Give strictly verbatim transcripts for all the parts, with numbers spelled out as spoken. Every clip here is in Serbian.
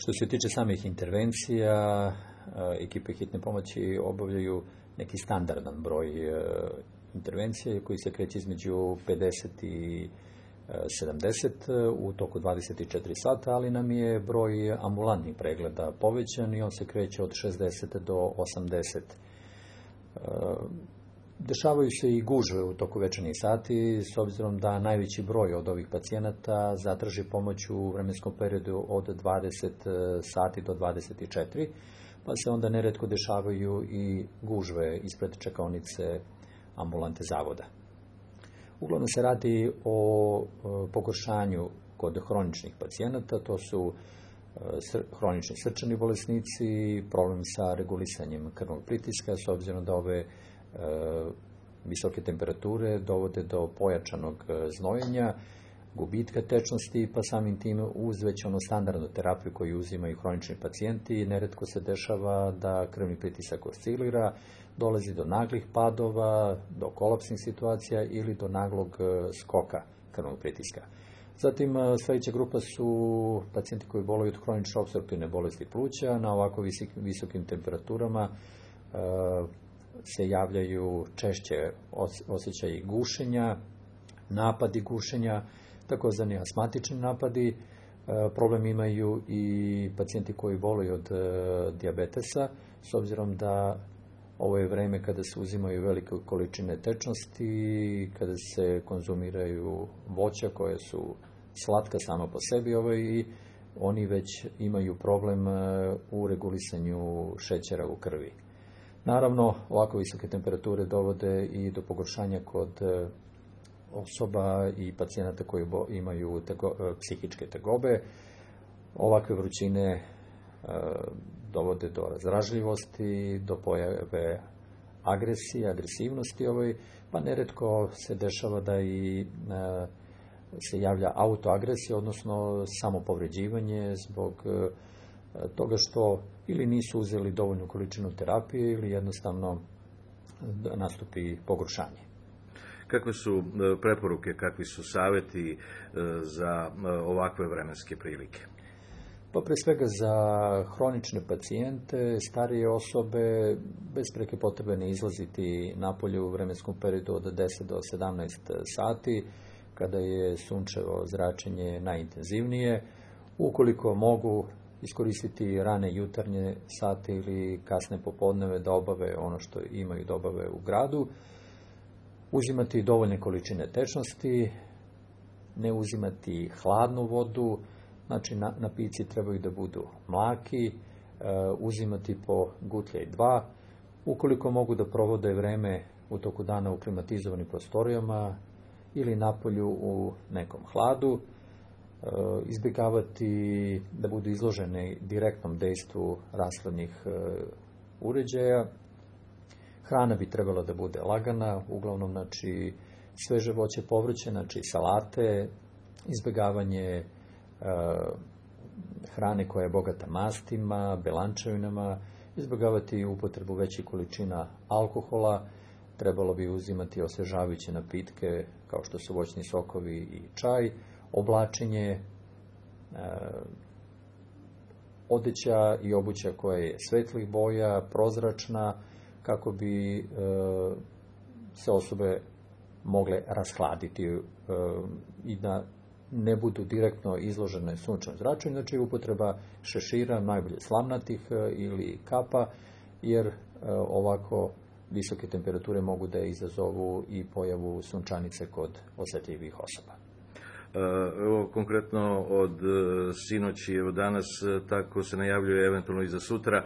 Što se tiče samih intervencija, ekipe hitne pomoći obavljaju neki standardan broj intervencija koji se kreće između pedeset i sedamdeset u toku dvadeset četiri sata, ali nam je broj ambulantnih pregleda povećan i on se kreće od šezdeset do osamdeset. Dešavaju se i gužve u toku večernjih sati, s obzirom da najveći broj od ovih pacijenata zatraži pomoć u vremenskom periodu od dvadeset sati do dvadeset četiri, pa se onda neretko dešavaju i gužve ispred čekaonice ambulante zavoda. Uglavnom se radi o pogoršanju kod hroničnih pacijenata, to su hronični srčani bolesnici, problem sa regulisanjem krvnog pritiska, s obzirom da ove visoke temperature dovode do pojačanog znojenja, gubitka tečnosti, pa samim tim uz već ono standardnu terapiju koju uzimaju hronični pacijenti, neretko se dešava da krvni pritisak oscilira, dolazi do naglih padova, do kolapsnih situacija ili do naglog skoka krvnog pritiska. Zatim, sljedeća grupa su pacijenti koji boluju od hronične opstruktivne bolesti pluća. Na ovako visokim temperaturama se javljaju češće osjećaji gušenja, napadi gušenja, takozvani astmatični napadi. Problem imaju i pacijenti koji boluju od dijabetesa, s obzirom da ovo je vreme kada se uzimaju velike količine tečnosti, kada se konzumiraju voća koje su slatka sama po sebi, i oni već imaju problem u regulisanju šećera u krvi. Naravno, ovako visoke temperature dovode i do pogoršanja kod osoba i pacijenata koji imaju tego, psihičke tegobe. Ovakve vrućine e, dovode do razdražljivosti, do pojave agresije, agresivnosti, ovaj, pa neretko se dešava da i e, se javlja autoagresija, odnosno samopovređivanje zbog e, toga što ili nisu uzeli dovoljnu količinu terapije ili jednostavno nastupi pogoršanje. Kakve su preporuke, kakvi su savjeti za ovakve vremenske prilike? Pa pre svega za hronične pacijente, starije osobe, bez preke potrebe ne izlaziti napolje u vremenskom periodu od deset do sedamnaest sati, kada je sunčevo zračenje najintenzivnije. Ukoliko mogu iskoristiti rane jutarnje sate ili kasne popodneve da obave ono što imaju da obave u gradu, uzimati dovoljne količine tečnosti, ne uzimati hladnu vodu, znači napici trebaju da budu mlaki, e, uzimati po gutlje i dva. Ukoliko mogu da provode vreme u toku dana u klimatizovanim prostorijama ili napolju u nekom hladu, e, izbjegavati da budu izloženi direktnom dejstvu rashladnih e, uređaja. Hrana bi trebala da bude lagana, uglavnom znači sveže voće, povrće, znači salate, izbjegavanje e, hrane koja je bogata mastima, belančevinama, izbjegavati upotrebu većih količina alkohola, trebalo bi uzimati osvežavajuće napitke kao što su voćni sokovi i čaj, oblačenje, e, odeća i obuća koja je svetlih boja, prozračna, kako bi e, se osobe mogle rashladiti e, i da ne budu direktno izložene sunčevom zračenju, znači upotreba šešira, najbolje slamnatih e, ili kapa, jer e, ovako visoke temperature mogu da izazovu i pojavu sunčanice kod osjetljivih osoba. Evo, konkretno od sinoći, evo danas, tako se najavljuje eventualno i za sutra,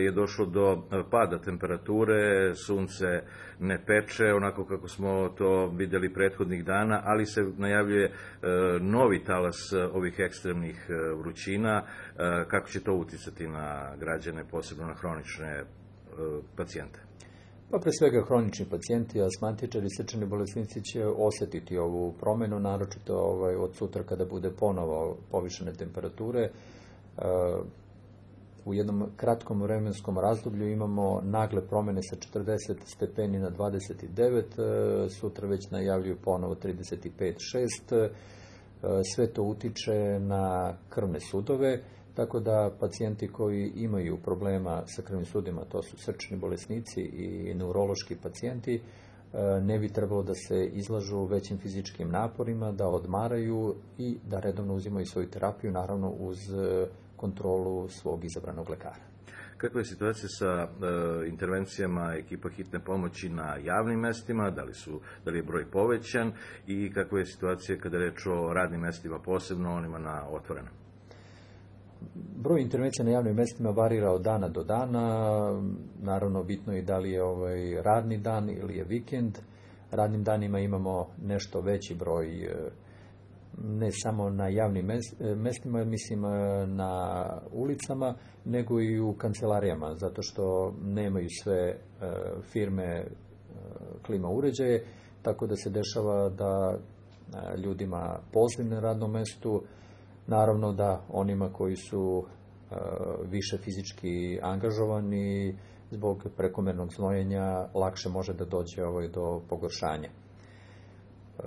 je došlo do pada temperature, sunce ne peče, onako kako smo to vidjeli prethodnih dana, ali se najavljuje novi talas ovih ekstremnih vrućina. Kako će to uticati na građane, posebno na hronične pacijente? Pa pre svega hronični pacijenti, astmatičari i srčani bolesnici će osjetiti ovu promjenu, naročito ovaj, od sutra kada bude ponovo povišene temperature. U jednom kratkom vremenskom razdoblju imamo nagle promjene sa četrdeset stepeni na dvadeset devet, sutra već najavljuju ponovo trideset pet šest. Sve to utiče na krvne sudove, tako da pacijenti koji imaju problema sa krvnim sudima, to su srčani bolesnici i neurološki pacijenti, ne bi trebalo da se izlažu većim fizičkim naporima, da odmaraju i da redovno uzimaju svoju terapiju, naravno uz kontrolu svog izabranog lekara. Kakva je situacija sa e, intervencijama ekipa hitne pomoći na javnim mestima, da li, su, da li je broj povećan i kakva je situacija kada je reč o radnim mestima, posebno onima na otvorenom? Broj intervencija na javnim mestima varira od dana do dana, naravno bitno je da li je ovaj radni dan ili je vikend. Radnim danima imamo nešto veći broj, ne samo na javnim mestima, mislim na ulicama, nego i u kancelarijama, zato što nemaju sve firme klima uređaje, tako da se dešava da ljudima poziv na radnom mestu, naravno da onima koji su e, više fizički angažovani zbog prekomernog znojenja lakše može da dođe ovaj, do pogoršanja. E,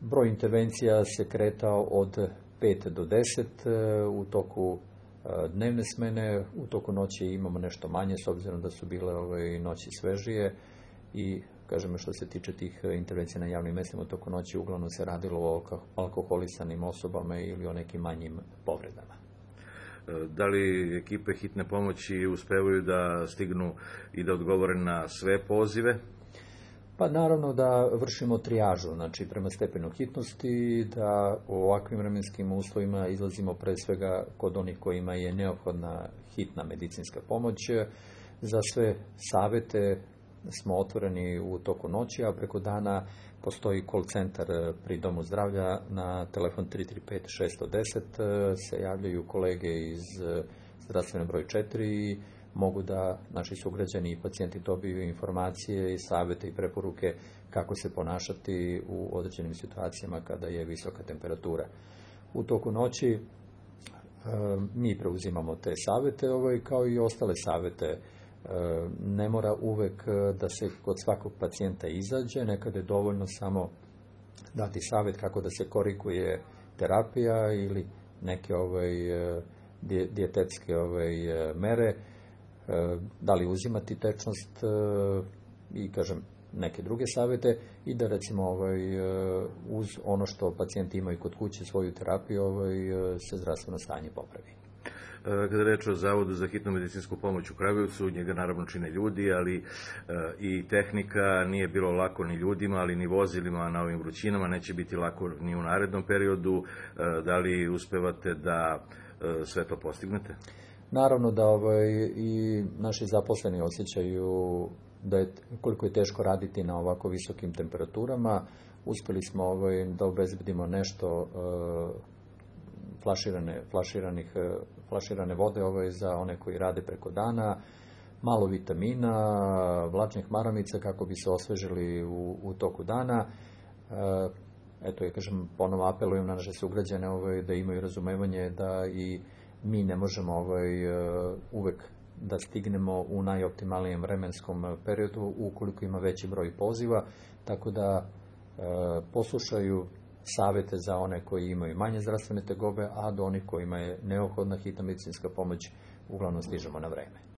broj intervencija se kretao od pet do deset e, u toku e, dnevne smene, u toku noći imamo nešto manje s obzirom da su bile ovaj, noći svežije i kažemo što se tiče tih intervencija na javnim mestima u toku noći, uglavnom se radilo o alkoholisanim osobama ili o nekim manjim povredama. Da li ekipe hitne pomoći uspevaju da stignu i da odgovore na sve pozive? Pa naravno da vršimo trijažu, znači prema stepenu hitnosti, da u ovakvim vremenskim uslovima izlazimo pre svega kod onih kojima je neophodna hitna medicinska pomoć. Za sve savete smo otvoreni u toku noći, a preko dana postoji call centar pri Domu zdravlja na telefon tri tri pet šest jedan zero, se javljaju kolege iz zdravstvene broj četiri i mogu da naši sugrađani i pacijenti dobiju informacije i savjete i preporuke kako se ponašati u određenim situacijama kada je visoka temperatura. U toku noći mi preuzimamo te savjete ovaj, kao i ostale savjete. Ne mora uvek da se kod svakog pacijenta izađe, nekada je dovoljno samo dati savjet kako da se koriguje terapija ili neke ovaj, dijetetske ovaj, mere, da li uzimati tečnost i kažem neke druge savjete i da recimo ovaj, uz ono što pacijenti imaju kod kuće svoju terapiju ovaj, se zdravstveno stanje popravi. Kada je reč o Zavodu za hitnu medicinsku pomoć u Kragujevcu, njega naravno čine ljudi, ali e, i tehnika, nije bilo lako ni ljudima, ali ni vozilima na ovim vrućinama, neće biti lako ni u narednom periodu. E, da li uspevate da e, sve to postignete? Naravno da ovaj, i naši zaposleni osjećaju da je, koliko je teško raditi na ovako visokim temperaturama. Uspjeli smo ovaj, da obezbedimo nešto e, flaširane, flaširanih, flaširane vode ovaj, za one koji rade preko dana, malo vitamina, vlačnih maramica kako bi se osvežili u, u toku dana. E, eto, ja kažem, ponovo apelujem na naše sugrađane ovaj, da imaju razumevanje da i mi ne možemo ovaj, uvek da stignemo u najoptimalnijem vremenskom periodu ukoliko ima veći broj poziva, tako da e, poslušaju savjete za one koji imaju manje zdravstvene tegobe, a do onih kojima je neophodna hitna medicinska pomoć uglavnom stižemo na vreme.